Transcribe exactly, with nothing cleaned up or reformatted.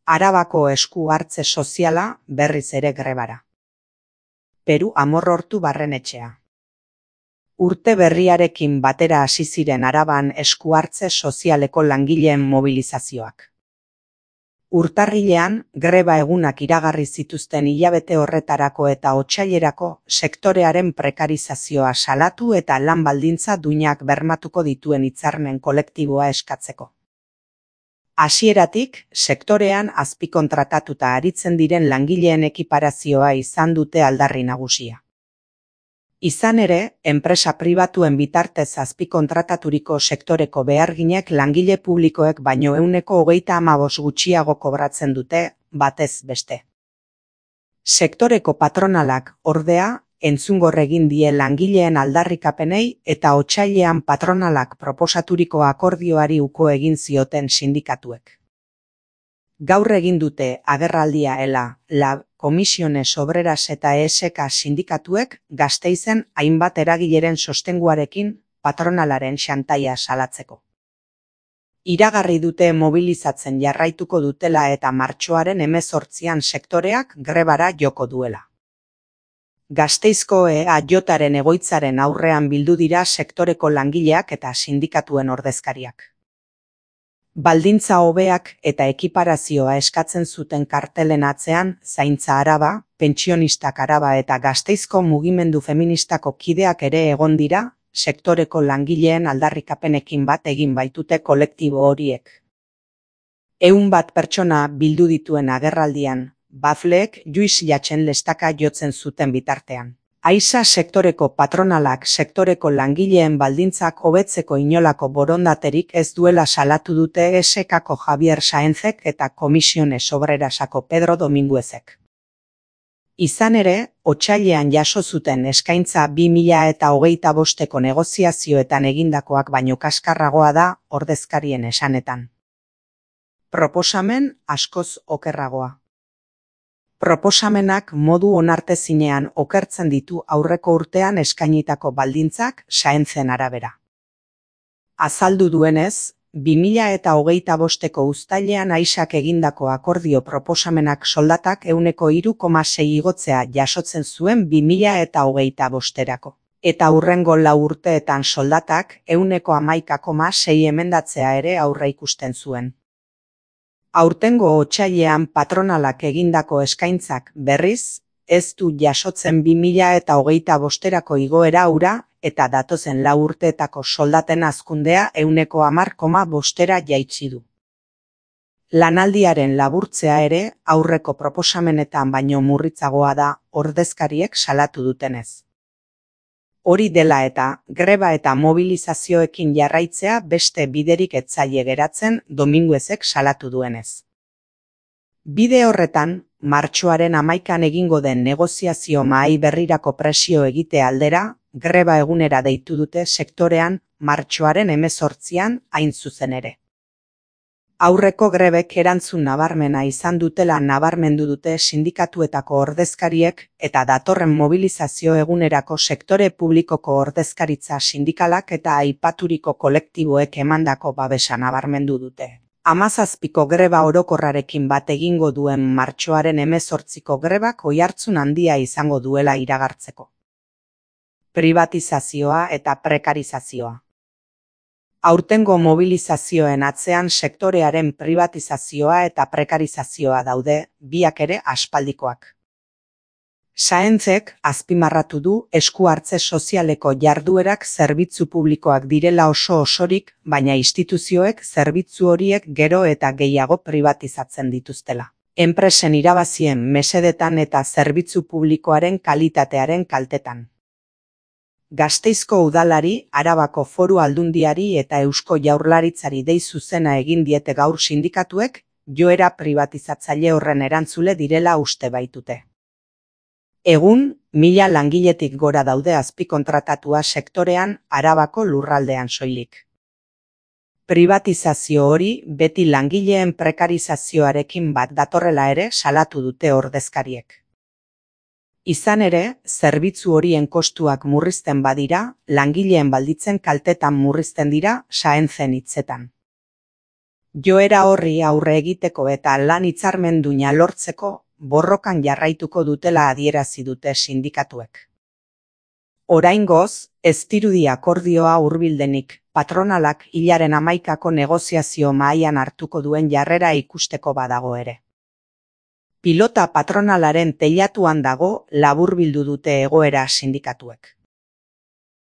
Arabako esku hartze soziala berriz ere grebara. Peru Amorrortu Barrenetxea. Urte berriarekin batera hasi ziren Araban esku hartze sozialeko langileen mobilizazioak. Urtarrilean, greba egunak iragarri zituzten hilabete horretarako eta otsailerako sektorearen prekarizazioa salatu eta lan baldintza duinak bermatuko dituen hitzarmen kolektiboa eskatzeko. Hasieratik, sektorean azpikontratatuta aritzen diren langileen ekiparazioa izan dute aldarri nagusia. Izan ere, enpresa pribatuen bitartez azpikontrataturiko sektoreko beharginek langile publikoek baino ehuneko hogeita hamabost gutxiago kobratzen dute, batez beste. Sektoreko patronalak, ordea, entzungor egin die langileen aldarrikapenei eta otsailean patronalak proposaturiko akordioari uko egin zioten sindikatuek. Gaur egin dute agerraldia ela, lab, Komisiones Obreras eta E S K sindikatuek Gasteizen hainbat eragileren sostenguarekin patronalaren xantaia salatzeko. Iragarri dute mobilizatzen jarraituko dutela eta martxoaren hemezortzian sektoreak grebara joko duela. Gasteizko E A Jaren egoitzaren aurrean bildu dira sektoreko langileak eta sindikatuen ordezkariak. Baldintza hobeak eta ekiparazioa eskatzen zuten kartelen atzean Zaintza Araba, Pentsionistak Araba eta Gasteizko mugimendu feministako kideak ere egon dira, sektoreko langileen aldarrikapenekin bat egin baitute kolektibo horiek. Ehun bat pertsona bildu dituen agerraldian, bafleek Juiz Jatxen lestaka jotzen zuten bitartean. Aisa sektoreko patronalak sektoreko langileen baldintzak hobetzeko inolako borondaterik ez duela salatu dute E S K-ko Javier Saenzek eta Komisiones Obrerasako Pedro Dominguezek. Izan ere, otsailean jaso zuten eskaintza bi mila eta hogeita bosteko negoziazioetan egindakoak baino kaskarragoa da ordezkarien esanetan. Proposamen askoz okerragoa. Proposamenak modu onartezinean okertzen ditu aurreko urtean eskainitako baldintzak Saentzen arabera. Azaldu duenez, bi mila eta hogeita bosteko uztailean Aisak egindako akordio proposamenak soldatak ehuneko hiru koma sei igotzea jasotzen zuen bi mila eta hogeita bosterako. Eta hurrengo lau urteetan soldatak ehuneko hamaika koma sei emendatzea ere aurreikusten zuen. Aurtengo otsailean patronalak egindako eskaintzak berriz, ez du jasotzen bi mila eta hogeita bosterako igoera hura eta datozen lau urteetako soldaten hazkundea ehuneko hamar koma bostera jaitsi du. Lanaldiaren laburtzea ere aurreko proposamenetan baino murritzagoa da ordezkariek salatu dutenez. Hori dela eta, greba eta mobilizazioekin jarraitzea beste biderik ez zaie geratzen Dominguezek salatu duenez. Bide horretan, martxoaren hamaikan egingo den negoziazio mahai berrirako presio egite aldera, greba egunera deitu dute sektorean martxoaren hemezortzian hain zuzen ere. Aurreko grebek erantzun nabarmena izan dutela nabarmendu dute sindikatuetako ordezkariek eta datorren mobilizazio egunerako sektore publikoko ordezkaritza sindikalak eta aipaturiko kolektiboek emandako babesa nabarmendu dute. Hamazazpiko greba orokorrarekin bat egingo duen martxoaren hemezortziko grebak oihartzun handia izango duela iragartzeko. Privatizazioa eta prekarizazioa. Aurtengo mobilizazioen atzean sektorearen privatizazioa eta prekarizazioa daude, biak ere aspaldikoak. Saenzek azpimarratu du esku hartze sozialeko jarduerak zerbitzu publikoak direla oso osorik, baina instituzioek zerbitzu horiek gero eta gehiago privatizatzen dituztela. Enpresen irabazien mesedetan eta zerbitzu publikoaren kalitatearen kaltetan. Gasteizko udalari, Arabako Foru Aldundiari eta Eusko Jaurlaritzari dei zuzena egin diete gaur sindikatuek, joera privatizatzaile horren erantzule direla uste baitute. Egun, mila langiletik gora daude azpikontratatua sektorean Arabako lurraldean soilik. Privatizazio hori beti langileen prekarizazioarekin bat datorrela ere salatu dute ordezkariek. Izan ere, zerbitzu horien kostuak murrizten badira, langileen balditzen kaltetan murrizten dira Saentzen hitzetan. Joera horri aurre egiteko eta lan hitzarmenduna lortzeko borrokan jarraituko dutela adierazi dute sindikatuek. Oraingoz, ez dirudi akordioa hurbildenik, patronalak hilaren hamaikako negoziazio mahaian hartuko duen jarrera ikusteko badago ere. Pilota patronalaren teilatuan dago laburbildu dute egoera sindikatuek.